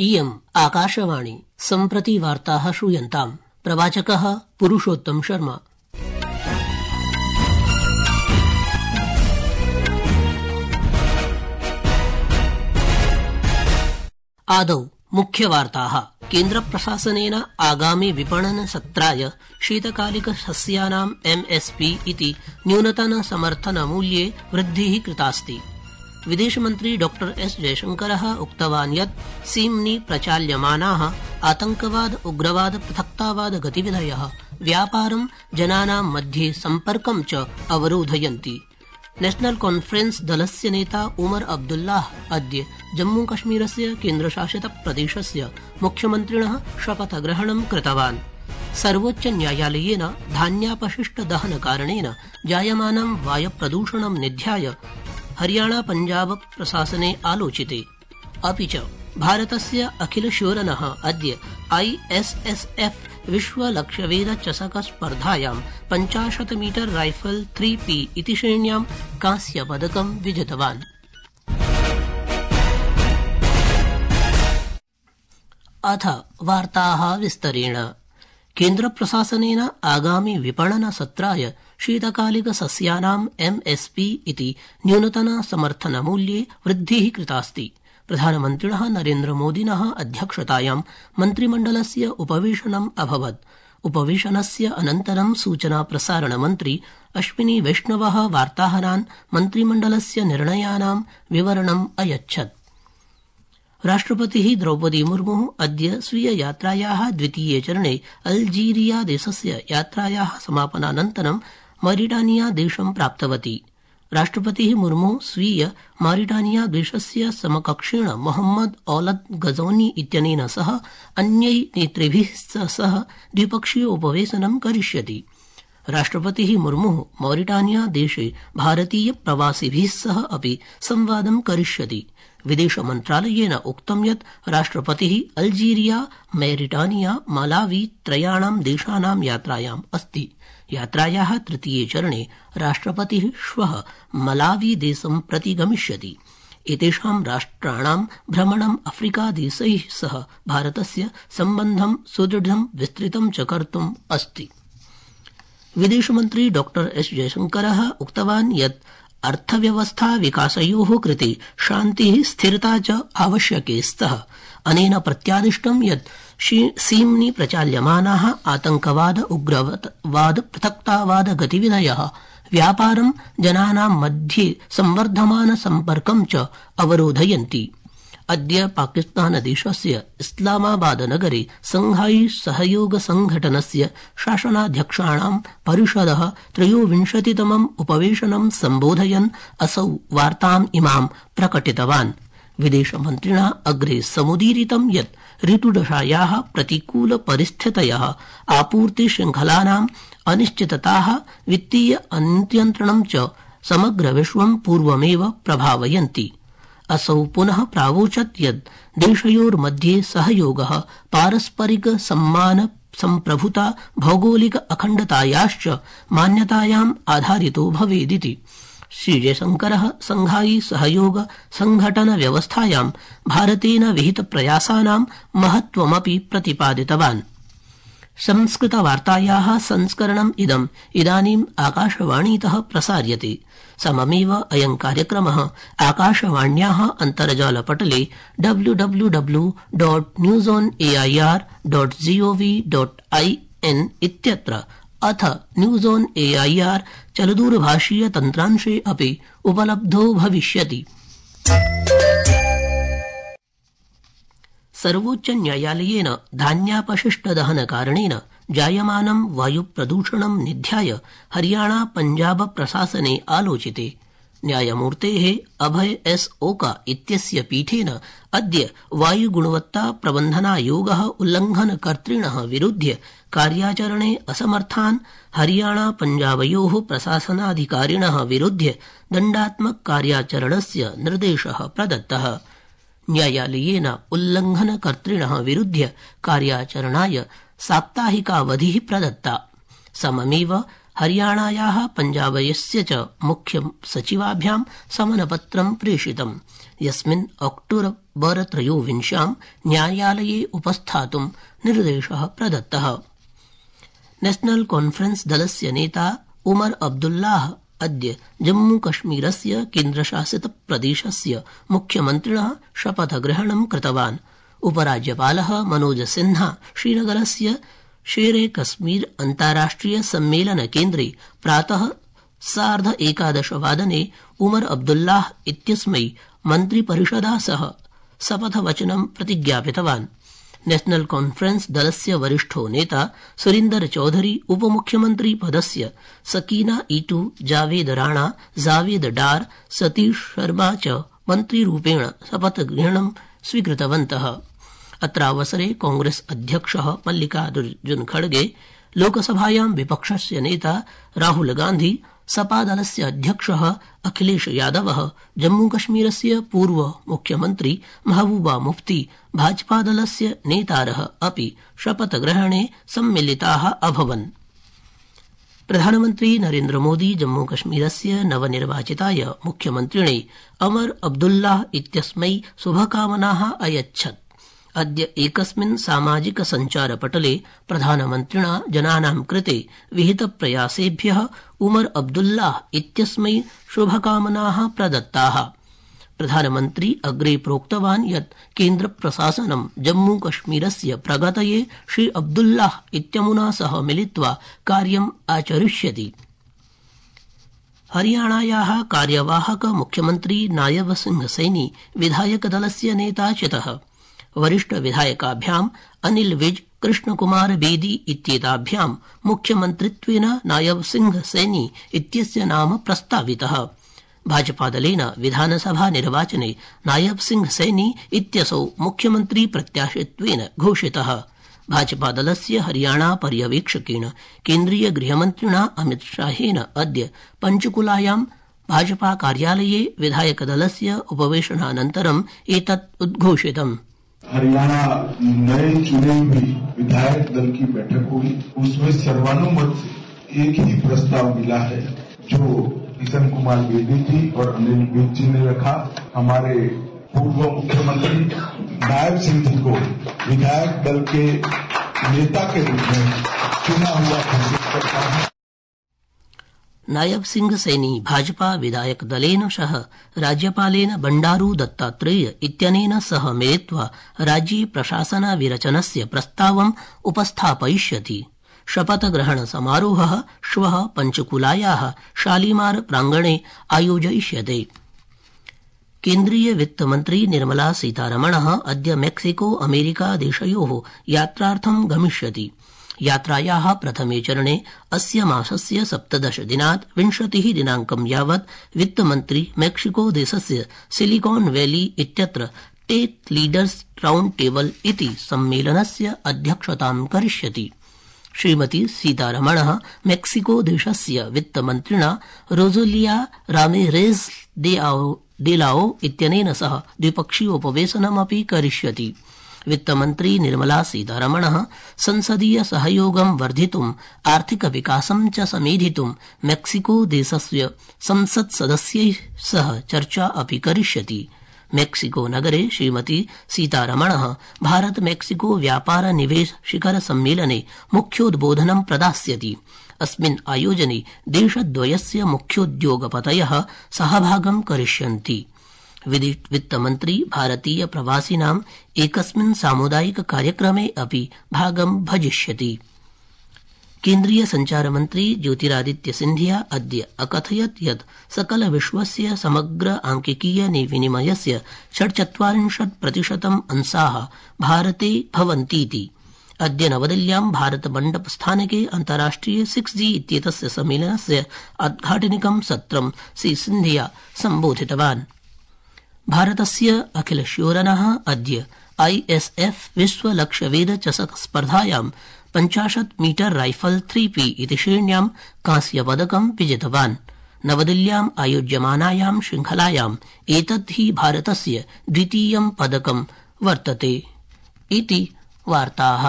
इयम् आकाशवाणी सम्प्रति वार्ताः श्रूयन्ताम्। प्रवाचकः पुरुषोत्तम शर्मा। आदौ मुख्यवार्ताः। केन्द्रप्रशासनेन आगामि विपणन सत्राय शीतकालिक सस्यानाम् MSP इति न्यूनतम समर्थन मूल्ये वृद्धिः कृतास्ति। विदेशमन्त्री डॉ एस जयशंकरः उक्तवान् यत् सीम्नि प्रचाल्यमानाः आतंकवाद उग्रवाद पृथक्तावाद गतिविधयः व्यापारं जनानां मध्ये सम्पर्कं च अवरोधयन्ति। नेशनल कॉन्फ्रेंस दलस्य नेता उमर अब्दुल्लाह अद्य जम्मूकश्मीरस्य केन्द्रशासित प्रदेशस्य मुख्यमन्त्रिणः शपथग्रहणं कृतवान्। सर्वोच्च न्यायालयेन धान्यापशिष्ट दहन कारणेन जायमानं वायुप्रदूषणं निध्याय हरियाणा पंजाब प्रशासने आलोचिते। अपि च भारतस्य अखिल शोरनः अद्य ISSF विश्वलक्ष्यवेध चषक स्पर्धायां 50 मीटर राइफल 3P इति श्रेण्यां कांस्यपदकं विजितवान्। अथ वार्ताः विस्तरेण। केन्द्रप्रशासनेन आगामि विपणन सत्राय शीतकालिक सस्यानाम् MSP इति न्यूनतम समर्थन मूल्ये वृद्धिः कृतास्ति। प्रधानमन्त्रिणः नरेन्द्रमोदिनः अध्यक्षतायां मन्त्रिमण्डलस्य उपवेशनम् अभवत्। उपवेशनस्य अनन्तरं सूचना प्रसारण मन्त्री अश्विनी वैष्णवः वार्ताहरान् मन्त्रिमण्डलस्य निर्णयानां विवरणम् अयच्छत्। राष्ट्रपतिः द्रौपदी मुर्मुः अद्य स्वीय यात्रायाः द्वितीये चरणे अल्जीरिया देशस्य यात्रायाः समापनानन्तरं मॉरिटानिया देशं प्राप्तवती। राष्ट्रपतिः मुर्मुः स्वीय मॉरिटानिया देशस्य समकक्षेण मोहम्मद औलद गजौनी इत्यनेन सह अन्यै नेतृभिः सह द्विपक्षीय उपवेशनं करिष्यति। राष्ट्रपतिः मुर्मुः मॉरिटानिया देशे भारतीय प्रवासिभिः सह अपि संवादं करिष्यति। विदेश मन्त्रालयेन उक्तं यत् राष्ट्रपतिः अल्जीरिया, मॉरिटानिया, मालावी त्रयाणां देशानां यात्रायाम् अस्ति। यात्रायाः तृतीये चरणे राष्ट्रपतिः श्वः मलावी देशं प्रति गमिष्यति। एतेषां राष्ट्राणां भ्रमणम् अफ्रीकादेशैः सह भारतस्य सम्बन्धं सुदृढं विस्तृतं च कर्तुम् अस्ति। विदेशमन्त्री डॉ एस जयशंकरः उक्तवान् यत् अर्थव्यवस्था विकासयोः कृते शान्तिः स्थिरता च आवश्यके स्तः। अनेन प्रत्यादिष्टं यत् सीम्नि प्रचाल्यमानाः आतंकवाद उग्रवाद पृथक्तावाद गतिविधयः व्यापारं जनानां मध्ये संवर्धमान सम्पर्कं च अवरोधयन्ति। अद्य पाकिस्तानदेशस्य इस्लामाबाद नगरे संघाई सहयोग संघटनस्य शासनाध्यक्षाणां परिषदः 23तमम् उपवेशनं सम्बोधयन् असौ वार्ताम् इमां प्रकटितवान्। विदेशमन्त्रिणा अग्रे समुदीरितं यत् ऋतुदशायाः प्रतिकूल परिस्थितयः आपूर्ति श्रृंखलानाम् अनिश्चितताः वित्तीय अनियन्त्रणं च समग्र विश्वं पूर्वमेव प्रभावयन्ति। असौ पुनः प्रावोचत् यत् देशयोर्मध्ये सहयोगः पारस्परिक सम्मान सम्प्रभुता भौगोलिक अखण्डतायाश्च मान्यतायाम् आधारितो भवेदिति। श्रीजयशंकरः संघाई सहयोग संघटन व्यवस्थायां भारतेन विहित प्रयासानां महत्वमपि प्रतिपादितवान्। संस्कृतवार्तायाः संस्करणम् इदानीम् आकाशवाणीतः प्रसार्यते। सममेव अयं कार्यक्रमः आकाशवाण्याः अन्तर्जालपटले www.newsonair.gov.in इत्यत्र अथ न्यूज ऑन AIR चलदूरभाषीय तन्त्रांशे अपि उपलब्धो भविष्यति। सर्वोच्च न्यायालयेन धान्यापशिष्ट दहन कारणेन जायमानं वायुप्रदूषणं निध्याय हरियाणा पंजाब प्रशासने आलोचिते। न्यायमूर्तेः अभय S ओका इत्यस्य पीठेन अद्य वायुगुणवत्ता प्रबन्धनायोगः उल्लङ्घनकर्तृणः विरुध्य कार्याचरणे असमर्थान् हरियाणा पंजाबयोः प्रशासनाधिकारिणः विरुध्य दण्डात्मक कार्याचरणस्य निर्देशः प्रदत्तः। न्यायालयेन उल्लङ्घनकर्तृणः विरुध्य कार्याचरणाय साप्ताहिकावधिः प्रदत्ता। सममेव हरियाणायाः पंजाबयस्य च मुख्य सचिवाभ्यां समनपत्रं प्रेषितम्, यस्मिन् 2023 न्यायालये उपस्थातुं निर्देशः प्रदत्तः। नेशनल कॉन्फ्रेंस दलस्य नेता उमर अब्दुल्लाह अद्य जम्मूकश्मीरस्य केन्द्रशासित प्रदेशस्य मुख्यमन्त्रिणः शपथग्रहणं कृतवान्। उपराज्यपालः मनोज सिन्हा श्रीनगरस्य शेरे कश्मीर अन्ताराष्ट्रिय सम्मेलन केन्द्रे प्रातः 11:30 उमर अब्दुल्लाह इत्यस्मै मन्त्रिपरिषदा सह शपथवचनं प्रतिज्ञापितवान्। नेशनल कॉन्फ्रेंस दलस्य वरिष्ठो नेता सुरिन्दर चौधरी उपमुख्यमन्त्री पदस्य सकीना ईटू जावेद राणा जावेद डार सतीश शर्मा च मन्त्रिरूपेण शपथग्रहणं स्वीकृतवन्तः। अत्रावसरे कांग्रेस अध्यक्षः मल्लिकार्जुन खड़गे, लोकसभायां विपक्षस्य नेता राहुल गांधी, सपा दलस्य अध्यक्षः अखिलेश यादवः, जम्मूकश्मीरस्य पूर्व मुख्यमन्त्री महबूबा मुफ्ती, भाजपा दलस्य नेतारः अपि शपथग्रहणे सम्मिलिताः अभवन्। प्रधानमन्त्री नरेन्द्र मोदी जम्मूकश्मीरस्य नवनिर्वाचिताय मुख्यमन्त्रिणे उमर अब्दुल्लाह इत्यस्मै शुभकामनाः अयच्छत्। अद्य एकस्मिन् सामाजिक सञ्चारपटले प्रधानमन्त्रिणा जनानां कृते विहितप्रयासेभ्यः उमर अब्दुल्लाह इत्यस्मै शुभकामनाः प्रदत्ताः। प्रधानमन्त्री अग्रे प्रोक्तवान् यत् केन्द्रप्रशासनं जम्मूकश्मीरस्य प्रगतये श्री अब्दुल्लाह इत्यमुना सह मिलित्वा कार्यम् आचरिष्यति। हरियाणायाः कार्यवाहक मुख्यमन्त्री नायब सिंह सैनी विधायकदलस्य नेता चितः। वरिष्ठ विधायकाभ्याम् अनिल विज, कृष्णकुमार बेदी इत्येताभ्यां मुख्यमन्त्रित्वेन नायब सिंह सैनी इत्यस्य नाम प्रस्तावितः। भाजपादलेन विधानसभा निर्वाचने नायब सिंह सैनी इत्यसौ मुख्यमन्त्री प्रत्याशित्वेन घोषितः। भाजपादलस्य हरियाणा पर्यवेक्षकेण केन्द्रीय गृहमन्त्रिणा अमित शाहेन अद्य पंचकुलायां भाजपा कार्यालये विधायकदलस्य उपवेशनानन्तरम् एतत् उद्घोषितम्। हरियाणा नए चुने हुए विधायक दल की बैठक हुई, उसमें सर्वानुमत से एक ही प्रस्ताव मिला है जो किशन कुमार बेदी जी और अनिल विज जी ने रखा। हमारे पूर्व मुख्यमंत्री नायब सिंह जी को विधायक दल के नेता के रूप में चुना हुआ घोषित करता है। नायब सिंह सैनी भाजपा विधायक दलेन सह राज्यपालेन बंडारू दत्तात्रेय इत्यनेन सह मिलित्वा राज्ये प्रशासनविरचनस्य प्रस्तावम् उपस्थापयिष्यति। शपथग्रहण समारोहः श्वः पंचकुलायाः शालीमार प्रांगणे आयोजयिष्यते। केन्द्रीय वित्तमन्त्री निर्मला सीतारमणः अद्य मेक्सिको अमेरिका देशयोः यात्रार्थं गमिष्यति। यात्रायाः प्रथमे चरणे अस्य मासस्य 17 दिनात् 20 दिनांकं यावत् वित्तमन्त्री मेक्सिको देशस्य सिलिकॉन वैली इत्यत्र टेक लीडर्स राउंड टेबल इति सम्मेलनस्य अध्यक्षतां करिष्यति। श्रीमती सीतारमणः मेक्सिको देशस्य वित्तमन्त्रिणा रोजेलिया रामिरेज डेलाओ इत्यनेन सह द्विपक्षीयोपवेशनमपि करिष्यति। वित्तमन्त्री निर्मला सीतारमणः संसदीय सहयोगं वर्धितुम् आर्थिक विकासं च समेधितुं मेक्सिको देशस्य संसत्सदस्यैः सह चर्चा अपि करिष्यति। मेक्सिको नगरे श्रीमती सीतारमणः भारत मेक्सिको व्यापार निवेश शिखर सम्मेलने मुख्योद्बोधनं प्रदास्यति। अस्मिन् आयोजने देशद्वयस्य मुख्योद्योगपतयः सहभागं करिष्यन्ति। वित्तमन्त्री भारतीय प्रवासिनाम् एकस्मिन् सामुदायिक कार्यक्रमे अपि भागं भजिष्यति। केन्द्रीय संचारमन्त्री ज्योतिरादित्य सिन्धिया अद्य अकथयत् यत् सकल विश्वस्य समग्र आंकिकीय विनिमयस्य 46% अंशाः भारते भवन्तीति। अद्य नवदिल्ल्यां भारत मण्डप स्थानके अन्ताराष्ट्रिय 6G इत्येतस्य सम्मेलनस्य उद्घाटनिकं सत्रं श्री सिन्धिया सम्बोधितवान्। भारतस्य अखिल श्योरनः अद्य ISF विश्व लक्ष्यवेद चषक स्पर्धायां 50 मीटर राइफल 3P इति श्रेण्यां कांस्यपदकं विजितवान्। नवदिल्ल्याम् आयोज्यमानायां श्रृंखलायाम् एतत् हि भारतस्य द्वितीयं पदकं वर्तते इति वार्ताः।